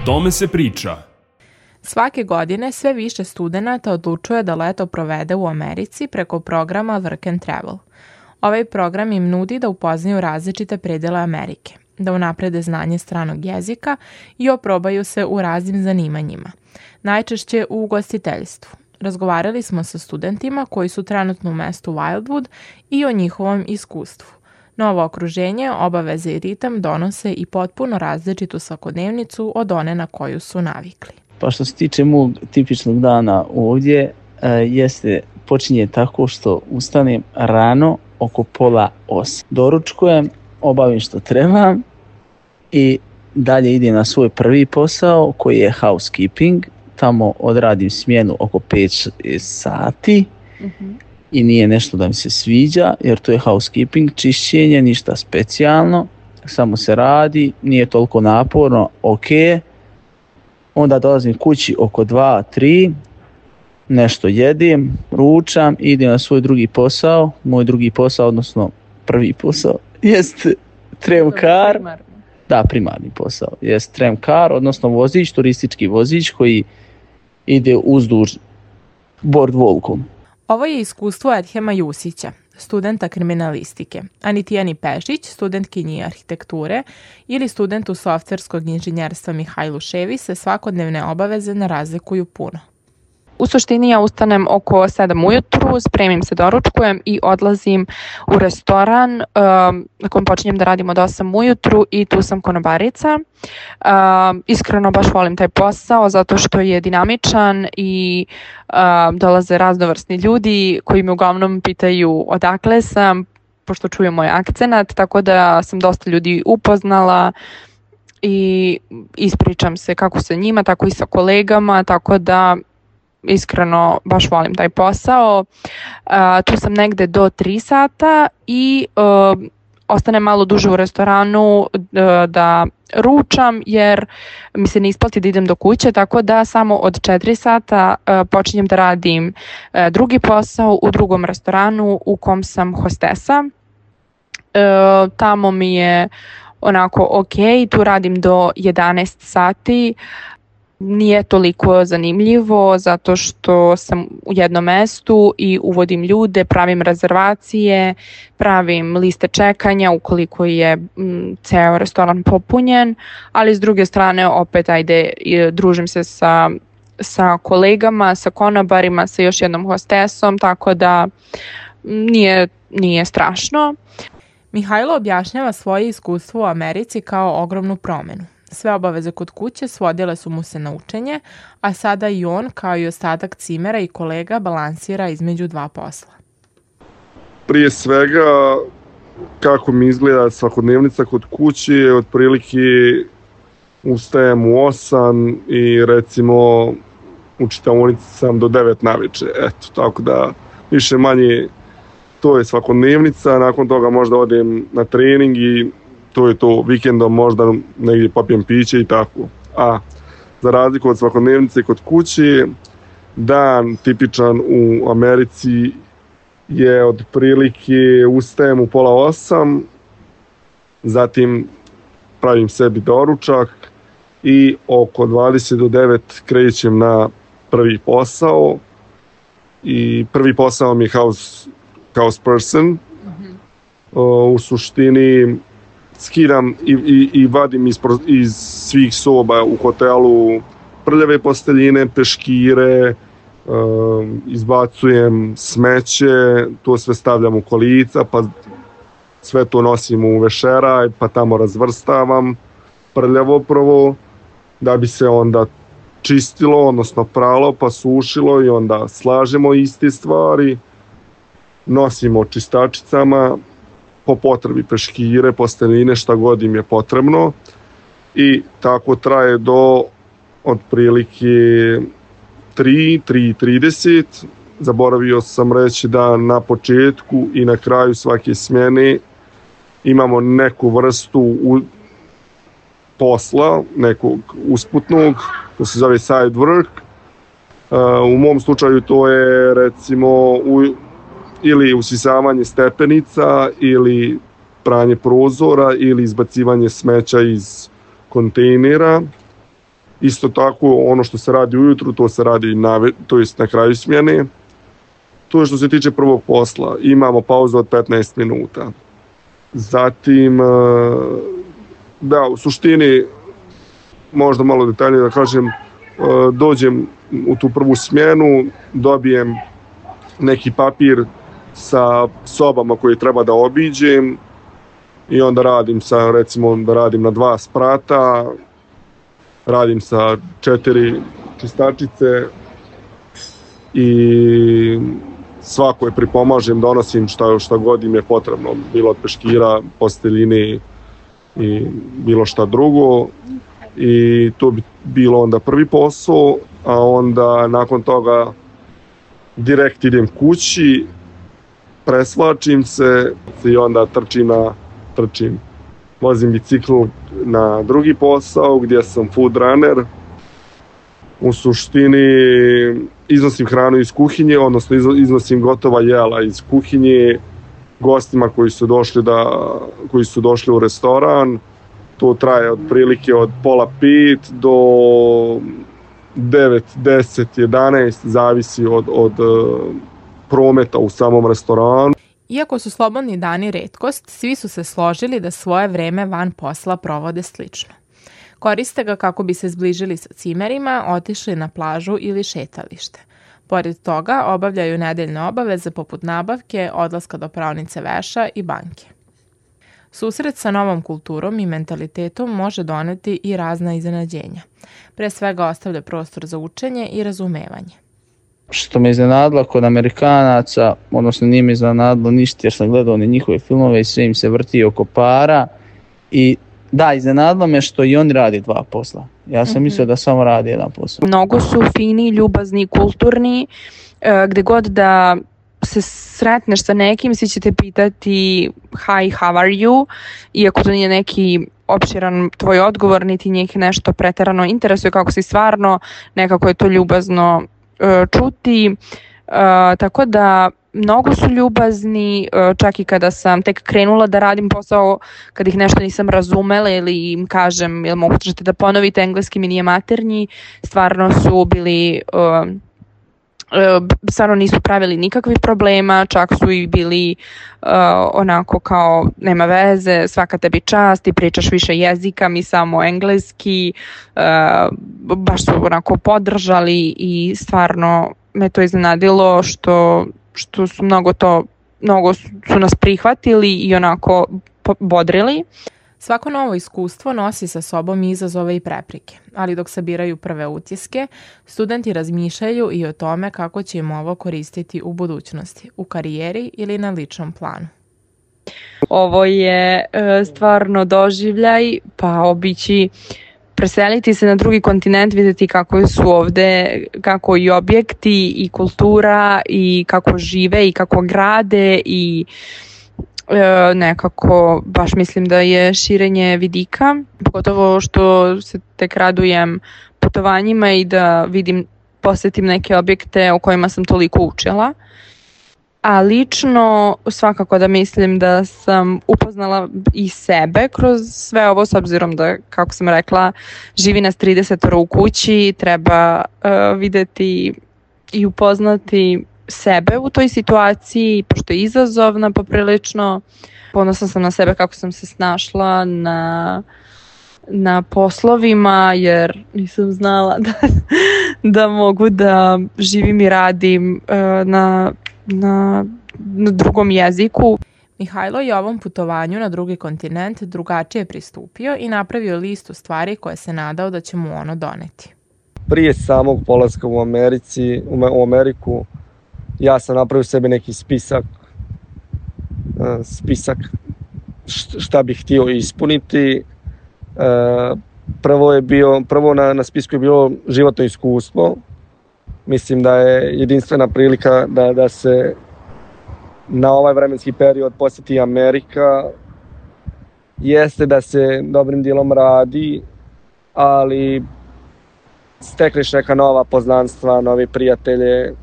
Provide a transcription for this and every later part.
tome se priča. Svake godine sve više studenata odlučuje da leto provede u Americi preko programa Work and Travel. Ovaj program im nudi da upoznaju različite predele Amerike, da unaprede znanje stranog jezika i oprobaju se u raznim zanimanjima, najčešće u ugostiteljstvu. Razgovarali smo sa studentima koji su trenutno u mestu Wildwood i o njihovom iskustvu. Novo okruženje, obaveze i ritam donose i potpuno različitu svakodnevnicu od one na koju su navikli. Pa što se tiče mog tipičnog dana ovdje, počinje tako što ustanem rano oko 7:30. Doručkujem, obavim što trebam i dalje idem na svoj prvi posao koji je housekeeping. Tamo odradim smjenu oko 5 sati i nije nešto da mi se sviđa jer to je housekeeping, čišćenje, ništa specijalno, samo se radi, nije toliko naporno, ok. Onda dolazim kući oko 2-3, nešto jedim, ručam, idem na svoj drugi posao. Moj drugi posao, odnosno prvi posao, jest tramkar. Da, primarni posao. Jest tramkar, odnosno vozič, turistički vozič koji ide uzduž boardwalkom. Ovo je iskustvo Edhema Jusića, studenta kriminalistike, a ni Tijani Pešić, studentkinji arhitekture ili studentu softverskog inženjerstva Mihajlu Ševi se svakodnevne obaveze ne razlikuju puno. U suštini ja ustanem oko 7 ujutru, spremim se, doručkujem i odlazim u restoran na kojem počinjem da radim od 8 ujutru i tu sam konobarica. Iskreno baš volim taj posao zato što je dinamičan i dolaze raznovrsni ljudi koji me uglavnom pitaju odakle sam, pošto čuju moj akcenat, tako da sam dosta ljudi upoznala i ispričam se kako sa njima, tako i sa kolegama, tako da iskreno baš volim taj posao. Tu sam negde do 3 sata i ostanem malo duže u restoranu da ručam jer mi se ne isplati da idem do kuće, tako da samo od 4 sata počinjem da radim drugi posao u drugom restoranu u kom sam hostesa. Tamo mi je onako ok, tu radim do 11 sati. Nije toliko zanimljivo zato što sam u jednom mestu i uvodim ljude, pravim rezervacije, pravim liste čekanja ukoliko je ceo restoran popunjen, ali s druge strane opet družim se sa kolegama, sa konobarima, sa još jednom hostesom, tako da nije strašno. Mihajlo objašnjava svoje iskustvo u Americi kao ogromnu promenu. Sve obaveze kod kuće svodile su mu se na učenje, a sada i on, kao i ostatak cimera i kolega, balansira između dva posla. Prije svega, kako mi izgleda svakodnevnica kod kuće, otprilike ustajem u 8 i recimo u čitaonici sam do 9 naveče. Eto, tako da više manje to je svakodnevnica, nakon toga možda odem na trening i to je to, vikendom možda negdje popijem piće i tako. A za razliku od svakodnevnice kod kuće, dan tipičan u Americi je otprilike ustajem u 7:30, zatim pravim sebi doručak i oko 20 do 9 krećem na prvi posao. I prvi posao mi je house person. U suštini skidam i vadim iz svih soba u hotelu prljave posteljine, peškire, izbacujem smeće, to sve stavljam u kolica, pa sve to nosim u vešeraj, pa tamo razvrstavam prljavo prvo, da bi se onda čistilo, odnosno pralo, pa sušilo i onda slažemo iste stvari, nosimo čistačicama, po potrebi peškire, posteljine, šta god im je potrebno i tako traje do otprilike 3:30. Zaboravio sam reći da na početku i na kraju svake smjene imamo neku vrstu posla, nekog usputnog, to se zove side work. U mom slučaju to je recimo ili usisavanje stepenica, ili pranje prozora, ili izbacivanje smeća iz kontejnera. Isto tako, ono što se radi ujutru, to se radi na kraju smjene. To je što se tiče prvog posla. Imamo pauzu od 15 minuta. Zatim, da, u suštini, možda malo detaljnije da kažem, dođem u tu prvu smjenu, dobijem neki papir sa sobama koje treba da obiđem i onda radim da radim na 2 sprata, radim sa 4 čistačice i svakoj pripomažem, donosim šta god im je potrebno, bilo od peškira, posteljine i bilo šta drugo. I to bi bilo onda prvi posao, a onda nakon toga direkt idem kući, presvlačim se i onda vozim bicikl na drugi posao gdje sam food runner. U suštini iznosim hranu iz kuhinje, odnosno iznosim gotova jela iz kuhinje gostima koji su došli u restoran. To traje otprilike od 4:30 do 9, 10, 11, zavisi od prometa u samom restoranu. Iako su slobodni dani retkost, svi su se složili da svoje vreme van posla provode slično. Koriste ga kako bi se zbližili sa cimerima, otišli na plažu ili šetalište. Pored toga obavljaju nedeljne obaveze poput nabavke, odlaska do praonice veša i banke. Susret sa novom kulturom i mentalitetom može doneti i razna iznenađenja. Pre svega ostavlja prostor za učenje i razumevanje. Što me iznenadilo kod Amerikanaca, odnosno nije me iznenadilo ništa jer sam gledao one njihove filmove i sve im se vrti oko para. I da, iznenadilo me što i oni radi 2 posla. Ja sam mislio da samo radi 1 posao. Mnogo su fini, ljubazni, kulturni, gde god da se sretneš sa nekim, svi će te pitati hi, how are you, iako to nije neki opširan tvoj odgovor, niti njih nešto preterano interesuje kako si stvarno, nekako je to ljubazno čuti, tako da mnogo su ljubazni, čak i kada sam tek krenula da radim posao, kad ih nešto nisam razumela ili im kažem, jel možete da ponovite, engleski mi nije maternji, stvarno su bili, stvarno nisu pravili nikakvih problema, čak su i bili onako kao nema veze, svaka tebi čast, ti pričaš više jezika, mi samo engleski, baš su onako podržali i stvarno me to iznenadilo što su mnogo su nas prihvatili i onako bodrili. Svako novo iskustvo nosi sa sobom izazove i prepreke, ali dok sabiraju prve utiske, studenti razmišljaju i o tome kako će im ovo koristiti u budućnosti, u karijeri ili na ličnom planu. Ovo je stvarno doživljaj, pa obići preseliti se na drugi kontinent, vidjeti kako su ovde, kako i objekti i kultura i kako žive i kako grade i nekako baš mislim da je širenje vidika, pogotovo što se tek radujem putovanjima i da posetim neke objekte o kojima sam toliko učila. A lično svakako da mislim da sam upoznala i sebe kroz sve ovo, s obzirom da, kako sam rekla, živi nas 30 u kući, treba videti i upoznati sebe u toj situaciji, pošto je izazovna poprilično. Ponosna sam na sebe kako sam se snašla na poslovima, jer nisam znala da mogu da živim i radim na drugom jeziku. Mihajlo je ovom putovanju na drugi kontinent drugačije pristupio i napravio listu stvari koje se nadao da će mu ono doneti. Prije samog polaska u Ameriku, ja sam napravio sebi neki spisak šta bih htio ispuniti. Prvo na spisku je bilo životno iskustvo. Mislim da je jedinstvena prilika da se na ovaj vremenski period posjeti Amerika. Jeste da se dobrim dijelom radi, ali stekneš neka nova poznanstva, novi prijatelje,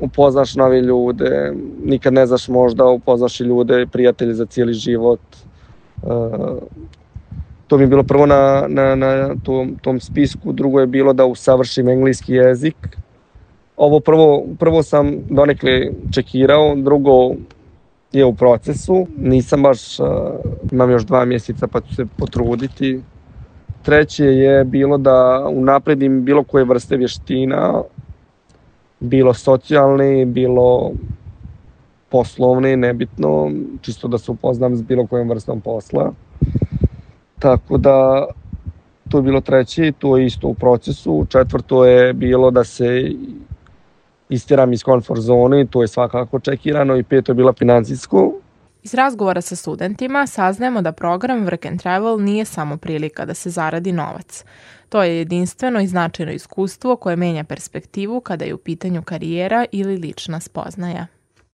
upoznaš nove ljude, nikad ne znaš, možda upoznaš i ljude, prijatelje za cijeli život. To mi je bilo prvo na tom spisku, drugo je bilo da usavršim engleski jezik. Ovo prvo sam donekle čekirao, drugo je u procesu. Nisam baš, imam još 2 mjeseca pa ću se potruditi. Treće je bilo da unapredim bilo koje vrste vještina, bilo socijalne, bilo poslovne, nebitno, čisto da se upoznam s bilo kojom vrstom posla. Tako da, to je bilo treće, to je isto u procesu. Četvrto je bilo da se istiram iz comfort zone, to je svakako čekirano, i 5. je bilo financijsko. Iz razgovora sa studentima saznajemo da program Work and Travel nije samo prilika da se zaradi novac. To je jedinstveno i značajno iskustvo koje menja perspektivu kada je u pitanju karijera ili lična spoznaja.